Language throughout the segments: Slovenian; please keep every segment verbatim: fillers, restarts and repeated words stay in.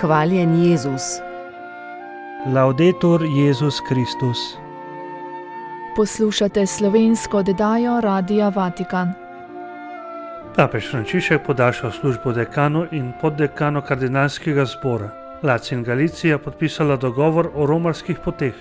Hvaljen Jezus. Laudetur Jezus Kristus. Poslušate slovensko oddajo Radia Vatikan. Papež Frančišek podaljšal službo dekanu in poddekanu kardinalskega zbora. Lacij in Galicija podpisala dogovor o romarskih poteh.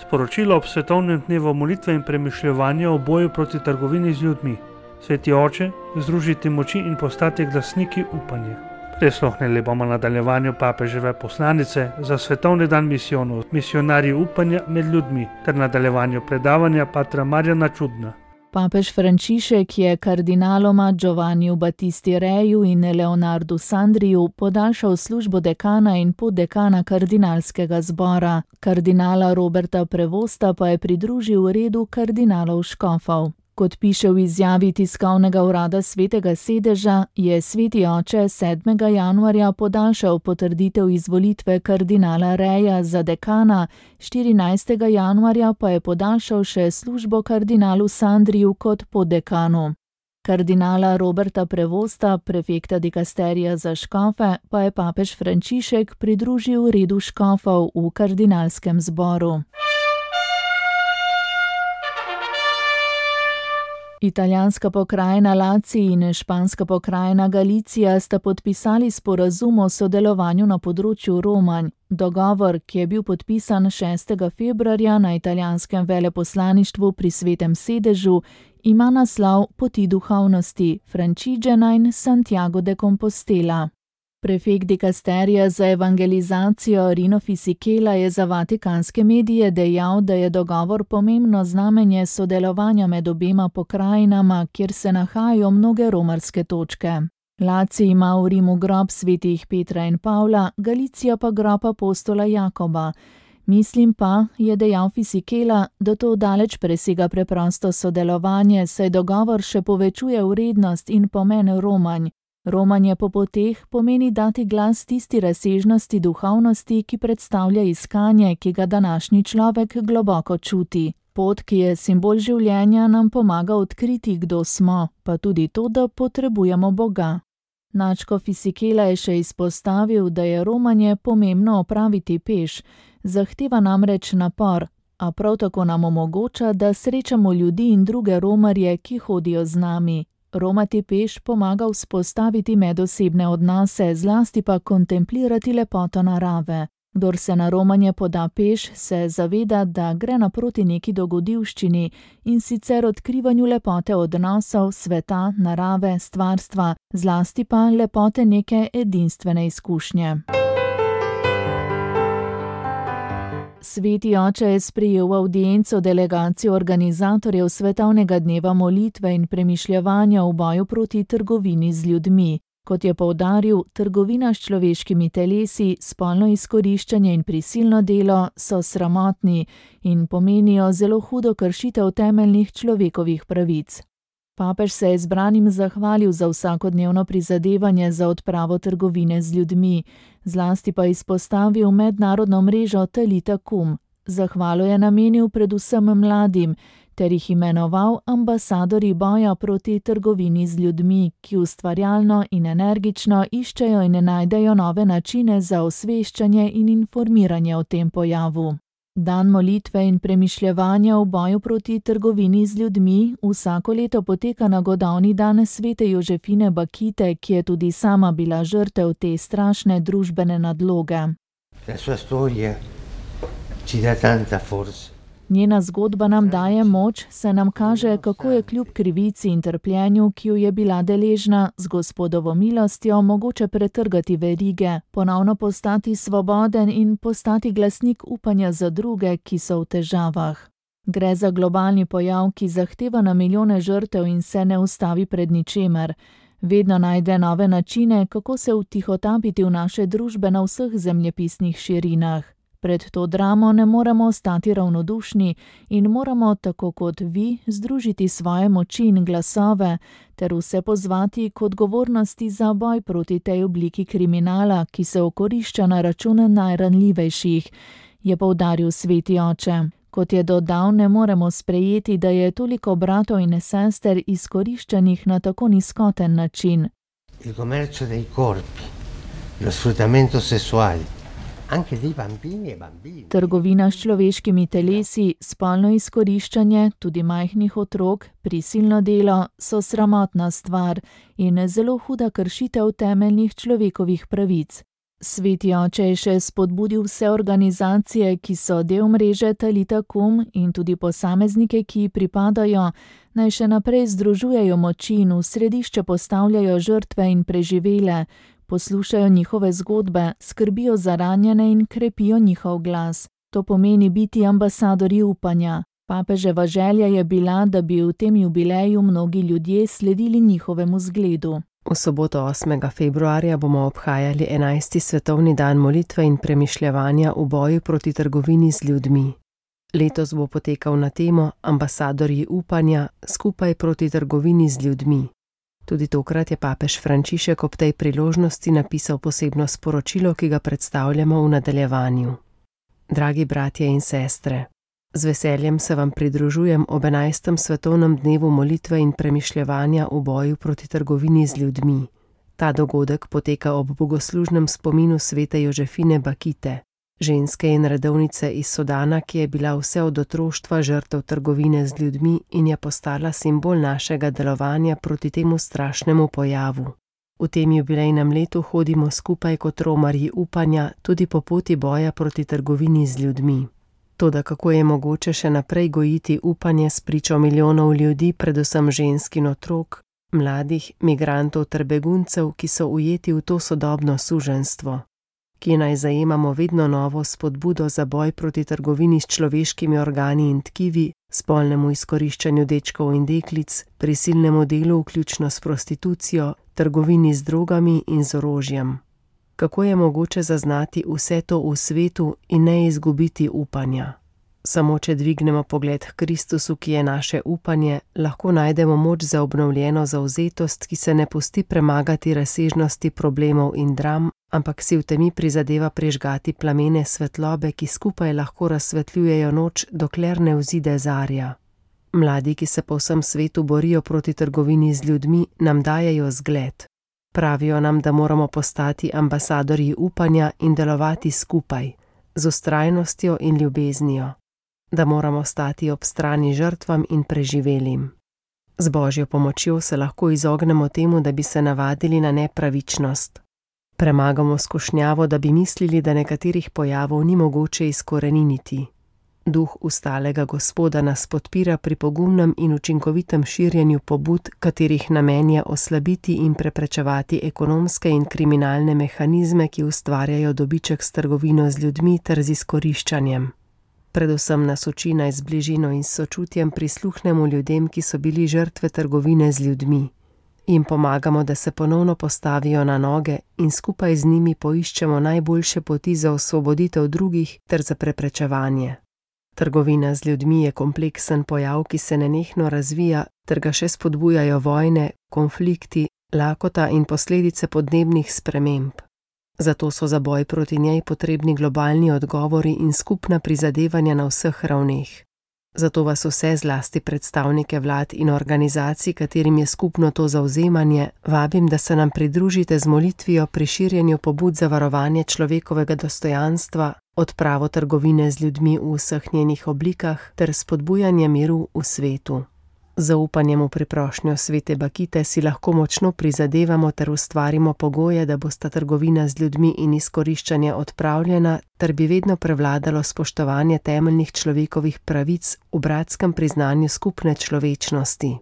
Sporočilo ob svetovnem dnevu molitve in premišljevanja o boju proti trgovini z ljudmi. Sveti oče, združiti moči in postati glasniki upanja. Prisluhnili bomo nadaljevanju papeževe poslanice za svetovni dan misijonov, misionarji upanja med ljudmi, ter nadaljevanju predavanja patra Marjana Čudna. Papež Frančišek je kardinaloma Giovanniju Battisti Reju in Leonardu Sandriju podaljšal službo dekana in poddekana kardinalskega zbora. Kardinala Roberta Prevosta pa je pridružil redu kardinalov škofov. Kot piše v izjavi tiskovnega urada Svetega sedeža, je sveti oče sedmega januarja podaljšal potrditev izvolitve kardinala Reja za dekana, štirinajstega januarja pa je podaljšal še službo kardinalu Sandriju kot poddekanu. Kardinala Roberta Prevosta, prefekta dikasterija za škofe, pa je papež Frančišek pridružil redu škofov v kardinalskem zboru. Italijanska pokrajina Lacij in španska pokrajina Galicija sta podpisali sporazum o sodelovanju na področju romanj. Dogovor, ki je bil podpisan šestega februarja na italijanskem veleposlaništvu pri Svetem sedežu, ima naslov Poti duhovnosti Francigena in Santiago de Compostela. Prefekt dikasterija za evangelizacijo Rino Fisichella je za vatikanske medije dejal, da je dogovor pomembno znamenje sodelovanja med obema pokrajinama, kjer se nahajajo mnoge romarske točke. Lacij ima v Rimu grob svetih Petra in Pavla, Galicija pa grob apostola Jakoba. Mislim pa, je dejal Fisichella, da to daleč presega preprosto sodelovanje, saj dogovor še povečuje vrednost in pomen romanj. Romanje po poteh pomeni dati glas tisti razsežnosti duhovnosti, ki predstavlja iskanje, ki ga današnji človek globoko čuti. Pot, ki je simbol življenja, nam pomaga odkriti, kdo smo, pa tudi to, da potrebujemo Boga. Nadškof Fisichella je še izpostavil, da je romanje pomembno opraviti peš, zahteva namreč napor, a prav tako nam omogoča, da srečamo ljudi in druge romarje, ki hodijo z nami. Romati peš pomaga vzpostaviti medosebne odnose, zlasti pa kontemplirati lepoto narave. Kdor se na romanje poda peš, se zaveda, da gre naproti neki dogodivščini in sicer odkrivanju lepote odnosov, sveta, narave, stvarstva, zlasti pa lepote neke edinstvene izkušnje. Sveti oče je sprejel avdienco delegacijo organizatorjev svetovnega dneva molitve in premišljevanja v boju proti trgovini z ljudmi. Kot je poudaril, trgovina s človeškimi telesi, spolno izkoriščanje in prisilno delo so sramotni in pomenijo zelo hudo kršitev temeljnih človekovih pravic. Papež se je zbranim zahvalil za vsakodnevno prizadevanje za odpravo trgovine z ljudmi, zlasti pa izpostavil mednarodno mrežo Talita Kum. Zahvalo je namenil predvsem mladim, ter jih imenoval ambasadorji boja proti trgovini z ljudmi, ki ustvarjalno in energično iščejo in najdejo nove načine za osveščanje in informiranje o tem pojavu. Dan molitve in premišljevanja v boju proti trgovini z ljudmi vsako leto poteka na godovni dan svete Jožefine Bakite, ki je tudi sama bila žrtev te strašne družbene nadloge. Njena zgodba nam daje moč, se nam kaže, kako je kljub krivici in trpljenju, ki jo je bila deležna, z Gospodovo milostjo mogoče pretrgati verige, ponovno postati svoboden in postati glasnik upanja za druge, ki so v težavah. Gre za globalni pojav, ki zahteva na milijone žrtev in se ne ustavi pred ničemer. Vedno najde nove načine, kako se vtihotapiti v naše družbe na vseh zemljepisnih širinah. Pred to dramo ne moremo ostati ravnodušni in moramo, tako kot vi, združiti svoje moči in glasove ter vse pozvati k odgovornosti za boj proti tej obliki kriminala, ki se okorišča na račun najranljivejših, je poudaril sveti oče. Kot je dodal, ne moremo sprejeti, da je toliko bratov in sester izkoriščanih na tako nizkoten način. Il commercio dei corpi lo sfruttamento sessuale, anche di bambini e bambine. Trgovina s človeškimi telesi, spolno izkoriščanje, tudi majhnih otrok, prisilno delo so sramotna stvar in zelo huda kršitev temeljnih človekovih pravic. Sveti oče je še spodbudil vse organizacije, ki so del mreže Talita Kum, in tudi posameznike, ki ji pripadajo, naj še naprej združujejo moči in v središče postavljajo žrtve in preživele, poslušajo njihove zgodbe, skrbijo za ranjene in krepijo njihov glas. To pomeni biti ambasadorji upanja. Papeževa želja je bila, da bi v tem jubileju mnogi ljudje sledili njihovemu zgledu. V soboto osmega februarja bomo obhajali enajsti svetovni dan molitve in premišljevanja v boju proti trgovini z ljudmi. Letos bo potekal na temo Ambasadorji upanja skupaj proti trgovini z ljudmi. Tudi tokrat je papež Frančišek ob tej priložnosti napisal posebno sporočilo, ki ga predstavljamo v nadaljevanju. Dragi bratje in sestre, z veseljem se vam pridružujem ob enajstem svetovnem dnevu molitve in premišljevanja v boju proti trgovini z ljudmi. Ta dogodek poteka ob bogoslužnem spominu svete Jožefine Bakite, ženske in redovnice iz Sudana, ki je bila vse od otroštva žrtev trgovine z ljudmi in je postala simbol našega delovanja proti temu strašnemu pojavu. V tem jubilejnem letu hodimo skupaj kot romarji upanja tudi po poti boja proti trgovini z ljudmi. Toda kako je mogoče še naprej gojiti upanje s pričo milijonov ljudi, predvsem žensk in otrok, mladih, migrantov ter beguncev, ki so ujeti v to sodobno suženjstvo, ki naj zajemamo vedno novo spodbudo za boj proti trgovini s človeškimi organi in tkivi, spolnemu izkoriščanju dečkov in deklic, prisilnemu delu vključno s prostitucijo, trgovini z drogami in z orožjem. Kako je mogoče zaznati vse to v svetu in ne izgubiti upanja? Samo če dvignemo pogled k Kristusu, ki je naše upanje, lahko najdemo moč za obnovljeno zavzetost, ki se ne pusti premagati razsežnosti problemov in dram, ampak si v temi prizadeva prižgati plamene svetlobe, ki skupaj lahko razsvetljujejo noč, dokler ne vzide zarja. Mladi, ki se po vsem svetu borijo proti trgovini z ljudmi, nam dajejo zgled. Pravijo nam, da moramo postati ambasadorji upanja in delovati skupaj, z vztrajnostjo in ljubeznijo, da moramo stati ob strani žrtvam in preživelim. Z Božjo pomočjo se lahko izognemo temu, da bi se navadili na nepravičnost. Premagamo skušnjavo, da bi mislili, da nekaterih pojavov ni mogoče izkoreniniti. Duh ustalega Gospoda nas podpira pri pogumnem in učinkovitem širjenju pobud, katerih namen je oslabiti in preprečevati ekonomske in kriminalne mehanizme, ki ustvarjajo dobiček s trgovino z ljudmi ter z izkoriščanjem. Predvsem nas uči naj z bližino in sočutjem prisluhnemo ljudem, ki so bili žrtve trgovine z ljudmi. Jim pomagamo, da se ponovno postavijo na noge in skupaj z njimi poiščemo najboljše poti za osvoboditev drugih ter za preprečevanje. Trgovina z ljudmi je kompleksen pojav, ki se nenehno razvija, ter ga še spodbujajo vojne, konflikti, lakota in posledice podnebnih sprememb. Zato so za boj proti njej potrebni globalni odgovori in skupna prizadevanja na vseh ravneh. Zato vas vse, zlasti predstavnike vlad in organizacij, katerim je skupno to zavzemanje, vabim, da se nam pridružite z molitvijo pri širjenju pobud za varovanje človekovega dostojanstva, odpravo trgovine z ljudmi v vseh njenih oblikah ter spodbujanje miru v svetu. Z zaupanjem v priprošnjo svete Bakite si lahko močno prizadevamo ter ustvarimo pogoje, da bosta trgovina z ljudmi in izkoriščanje odpravljena, ter bi vedno prevladalo spoštovanje temeljnih človekovih pravic v bratskem priznanju skupne človečnosti.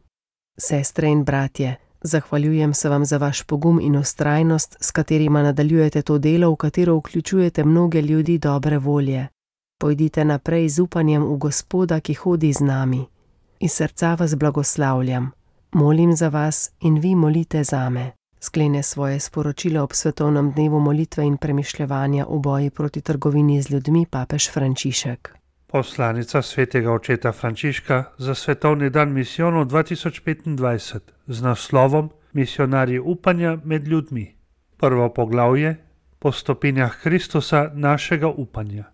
Sestre in bratje, zahvaljujem se vam za vaš pogum in vztrajnost, s katerima nadaljujete to delo, v katero vključujete mnoge ljudi dobre volje. Pojdite naprej z upanjem v Gospoda, ki hodi z nami. Iz srca vas blagoslavljam, molim za vas in vi molite zame. Sklene svoje sporočilo ob svetovnem dnevu molitve in premišljevanja v boji proti trgovini z ljudmi papež Frančišek. Poslanica svetega očeta Frančiška za svetovni dan misijonov dva tisoč petindvajset z naslovom Misionarji upanja med ljudmi. Prvo poglavje: Po stopinjah Kristusa našega upanja.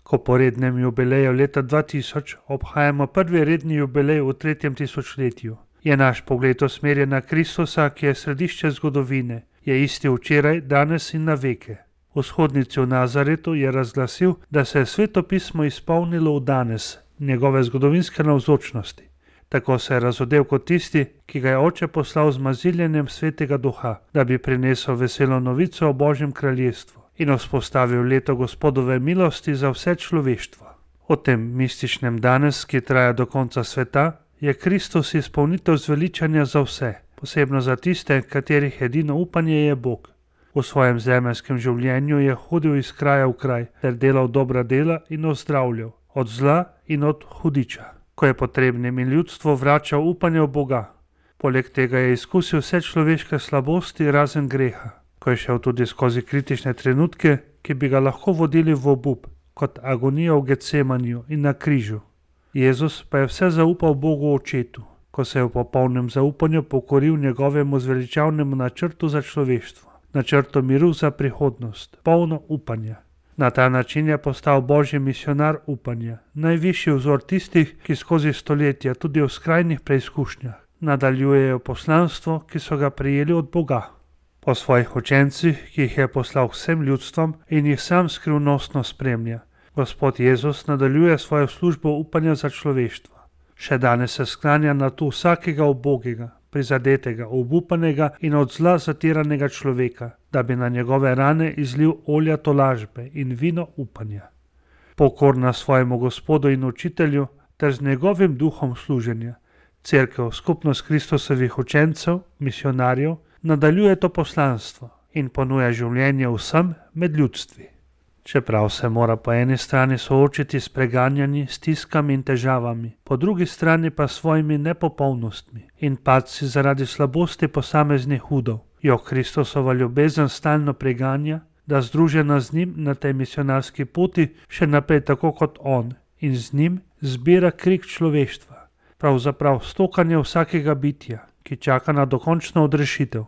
Ko po rednem jubileju leta dva tisoč obhajamo prvi redni jubilej v tretjem tisočletju, je naš pogled usmerjen na Kristusa, ki je središče zgodovine, je isti včeraj, danes in na veke. Vzhodnici v Nazaretu je razglasil, da se je Sveto pismo izpolnilo v danes, njegove zgodovinske navzočnosti. Tako se je razodel kot tisti, ki ga je oče poslal z maziljenjem Svetega Duha, da bi prinesel veselo novico o Božjem kraljestvu in vzpostavil leto Gospodove milosti za vse človeštvo. O tem mističnem danes, ki traja do konca sveta, je Kristus izpolnitev zveličanja za vse, posebno za tiste, katerih edino upanje je Bog. V svojem zemeljskem življenju je hodil iz kraja v kraj ter delal dobra dela in ozdravljal, od zla in od hudiča, ko je potrebnim in ljudstvo vračal upanje v Boga. Poleg tega je izkusil vse človeške slabosti razen greha, ko je šel tudi skozi kritične trenutke, ki bi ga lahko vodili v obup, kot agonija v Getsemaniju in na križu. Jezus pa je vse zaupal Bogu Očetu, ko se je v popolnem zaupanju pokoril njegovemu zveličavnemu načrtu za človeštvo, načrtu miru za prihodnost, polno upanja. Na ta način je postal Božji misionar upanja, najvišji vzor tistih, ki skozi stoletja tudi v skrajnih preizkušnjah nadaljujejo poslanstvo, ki so ga prejeli od Boga. Po svojih učencih, ki jih je poslal vsem ljudstvom in jih sam skrivnostno spremlja, Gospod Jezus nadaljuje svojo službo upanja za človeštvo. Še danes se sklanja na tu vsakega ubogega, prizadetega, obupanega in od zla zatiranega človeka, da bi na njegove rane izlil olja tolažbe in vino upanja. Pokorna svojemu Gospodu in učitelju ter z njegovim duhom služenja, Cerkev, skupnost Kristusovih učencev, misionarjev, nadaljuje to poslanstvo in ponuja življenje vsem med ljudstvi. Čeprav se mora po eni strani soočiti s preganjanji, stiskami in težavami, po drugi strani pa svojimi nepopolnostmi in padci zaradi slabosti posameznih udov, jo Kristusova ljubezen stalno preganja, da združena z njim na tej misionarski poti še naprej tako kot on in z njim zbira krik človeštva, pravzaprav stokanje vsakega bitja, ki čaka na dokončno odrešitev.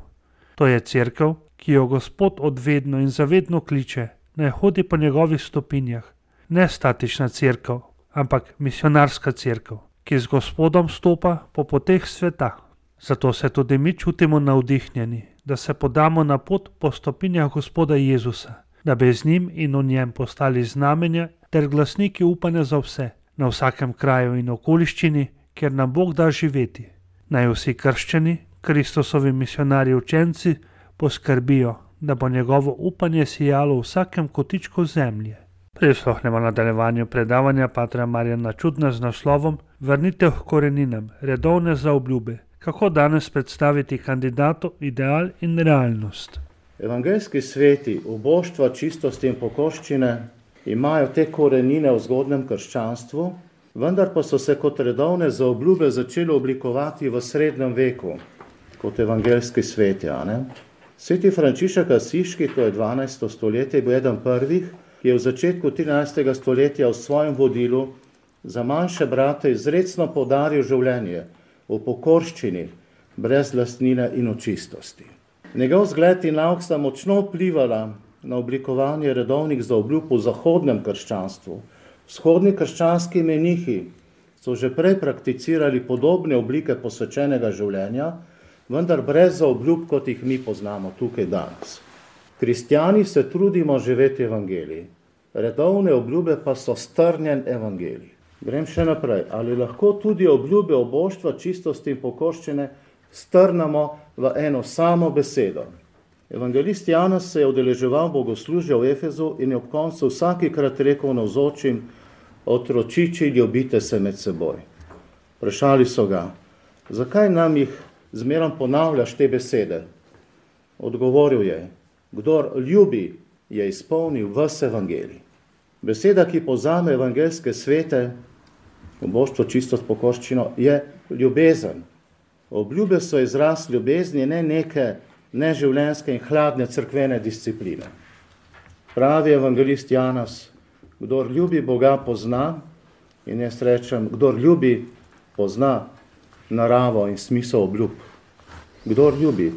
To je cerkev, ki jo Gospod odvedno in zavedno kliče, naj hodi po njegovih stopinjah, ne statična cerkev, ampak misionarska cerkev, ki z Gospodom stopa po poteh sveta. Zato se tudi mi čutimo navdihnjeni, da se podamo na pot po stopinjah Gospoda Jezusa, da bi z njim in v njem postali znamenja ter glasniki upanja za vse, na vsakem kraju in okoliščini, kjer nam Bog da živeti. Naj vsi krščani, Kristusovi misionarji učenci, poskrbijo, da bo njegovo upanje sijalo v vsakem kotičku zemlje. Prisluhnemo nadaljevanju predavanja patra Marjana Čudna z naslovom Vrnitev k koreninam, redovne zaobljube, kako danes predstaviti kandidatu ideal in realnost. Evangeljski sveti, uboštva, čistosti in pokorščine imajo te korenine v zgodnem krščanstvu, vendar pa so se kot redovne zaobljube začeli oblikovati v srednjem veku, kot evangeljski sveti, a ne? Sveti Frančišek Asiški, to je dvanajsto stoletje, bil eden prvih, ki je v začetku trinajstega stoletja v svojem vodilu za manjše brate izrecno poudaril življenje v pokorščini, brez lastnine in očistosti. Njegov zgled in nauk sta močno vplivala na oblikovanje redovnih zaobljub v zahodnem krščanstvu. Vzhodni krščanski menihi so že prej prakticirali podobne oblike posvečenega življenja, vendar brez zaobljub, kot jih mi poznamo tukaj danes. Kristjani se trudimo živeti evangelij, redovne obljube pa so strnjen evangelij. Grem še naprej. Ali lahko tudi obljube oboštva, čistosti in pokorščine strnemo v eno samo besedo? Evangelist Janez se je udeleževal bogoslužja v Efezu in je ob koncu vsakikrat rekel navzočim: otročiči, ljubite se med seboj. Vprašali so ga: zakaj nam jih zmerom ponavljaš te besede? Odgovoril je: kdor ljubi, je izpolnil ves evangelij. Beseda, ki povzame evangeljske svete, oboštvo, čistost, pokorščino, je ljubezen. Obljube so izraz ljubezni, ne neke neživljenjske in hladne cerkvene discipline. Pravi evangelist Janez: kdor ljubi Boga, pozna, in jaz rečem, kdor ljubi, pozna naravo in smisel obljub. Kdor ljubi,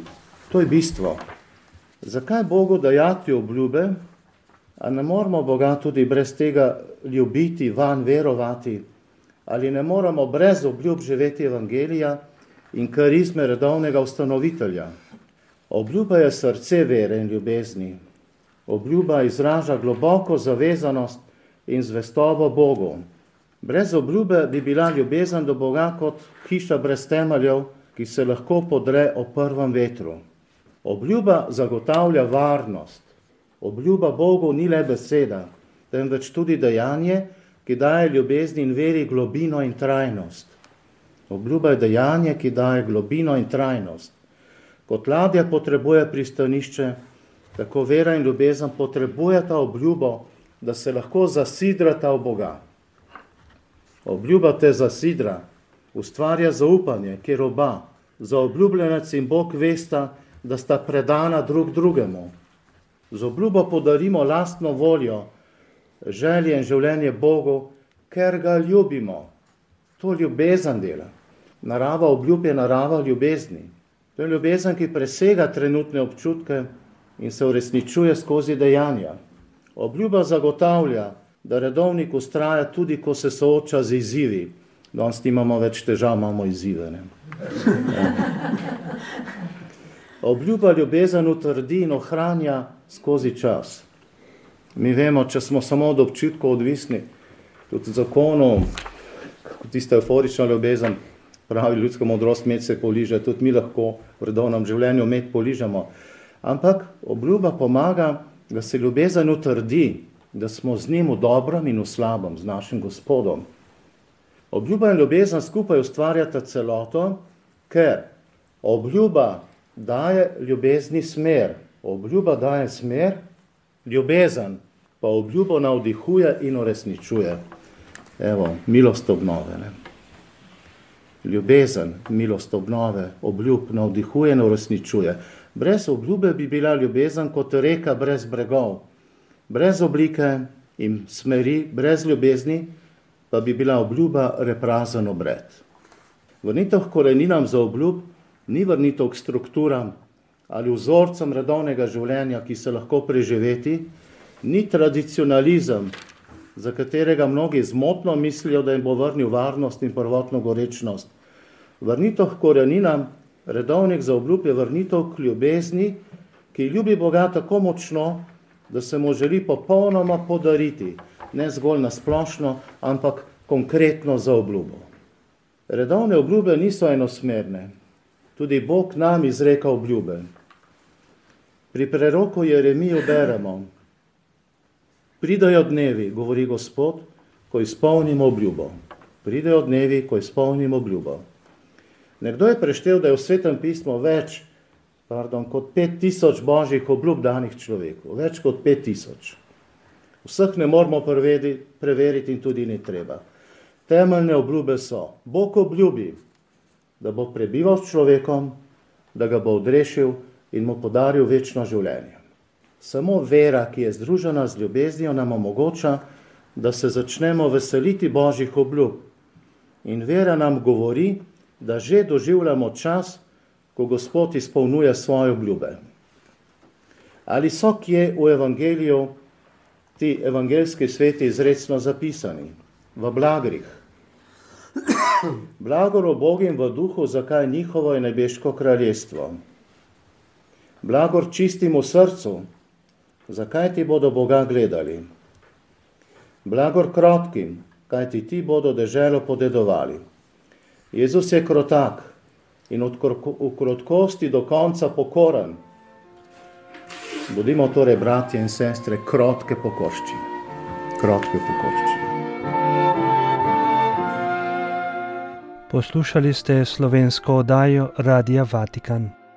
to je bistvo. Zakaj Bogu dajati obljube, a ne moramo Boga tudi brez tega ljubiti, van verovati, ali ne moramo brez obljub živeti evangelija in karizme redovnega ustanovitelja? Obljuba je srce vere in ljubezni. Obljuba izraža globoko zavezanost in zvestobo Bogu. Brez obljube bi bila ljubezen do Boga kot hiša brez temeljev, ki se lahko podre ob prvem vetru. Obljuba zagotavlja varnost. Obljuba Bogu ni le beseda, temveč tudi dejanje, ki daje ljubezni in veri globino in trajnost. Obljuba je dejanje, ki daje globino in trajnost. Kot ladja potrebuje pristanišče, tako vera in ljubezen potrebujeta obljubo, da se lahko zasidrata v Boga. Obljuba te zasidra, ustvarja zaupanje, kjer oba, zaobljubljenec in Bog vesta, da sta predana drug drugemu. Z obljubo podarimo lastno voljo, želje in življenje Bogu, ker ga ljubimo. To ljubezen dela. Narava obljub je narava ljubezni. To je ljubezen, ki presega trenutne občutke in se uresničuje skozi dejanja. Obljuba zagotavlja, da redovnik vztraja tudi, ko se sooča z izzivi. Danes nimamo več težav, imamo izzive. Ne? Ja. Obljuba ljubezen utrdi in ohranja skozi čas. Mi vemo, če smo samo od občutkov odvisni, tudi zakonov, tista euforična ljubezen, pravi ljudska modrost, med se poliže, tudi mi lahko v redovnem življenju med poližemo. Ampak obljuba pomaga, da se ljubezen utrdi, da smo z njim v dobrem in v slabem, z našim Gospodom. Obljuba in ljubezen skupaj ustvarjata celoto, ker obljuba daje ljubezni smer. Obljuba daje smer, ljubezen pa obljubo navdihuje in uresničuje. Evo, milost obnove. Ne? Ljubezen, milost obnove, obljub navdihuje in uresničuje. Brez obljube bi bila ljubezen kot reka brez bregov. Brez oblike in smeri, brez ljubezni, pa bi bila obljuba reprazen obred. Vrnitev k koreninam za obljub ni vrnitev k strukturam ali vzorcem redovnega življenja, ki se lahko preživeti, ni tradicionalizem, za katerega mnogi zmotno mislijo, da jim bo vrnil varnost in prvotno gorečnost. Vrnitev k koreninam, redovnik za obljub je vrnitev k ljubezni, ki ljubi Boga tako močno, da se mu želi popolnoma podariti, ne zgolj nasplošno, ampak konkretno za obljubo. Redovne obljube niso enosmerne. Tudi Bog nam izreka obljube. Pri preroku Jeremiju beremo: pridejo dnevi, govori Gospod, ko izpolnimo obljubo. Pridejo dnevi, ko izpolnimo obljubo. Nekdo je preštel, da je v Svetem pismu več, pardon, kot pet tisoč božjih obljub danih človeku. Več kot pet tisoč. Vseh ne moramo preveriti in tudi ni treba. Temeljne obljube so: Bog obljubi, da bo prebival s človekom, da ga bo odrešil in mu podaril večno življenje. Samo vera, ki je združena z ljubeznijo, nam omogoča, da se začnemo veseliti božjih obljub. In vera nam govori, da že doživljamo čas, ko Gospod izpolnjuje svoje obljube. Ali so kje v evangeliju ti evangeljski sveti izrecno zapisani? V blagrih. Blagor ubogim v duhu, zakaj njihovo je nebeško kraljestvo. Blagor čistim v srcu, zakaj ti bodo Boga gledali. Blagor krotkim, kaj ti ti bodo deželo podedovali. Jezus je krotak in od v krotkosti do konca pokoren. Bodimo torej, bratje in sestre, krotke pokorščine. Krotke pokorščine. Poslušali ste slovensko oddajo Radia Vatikan.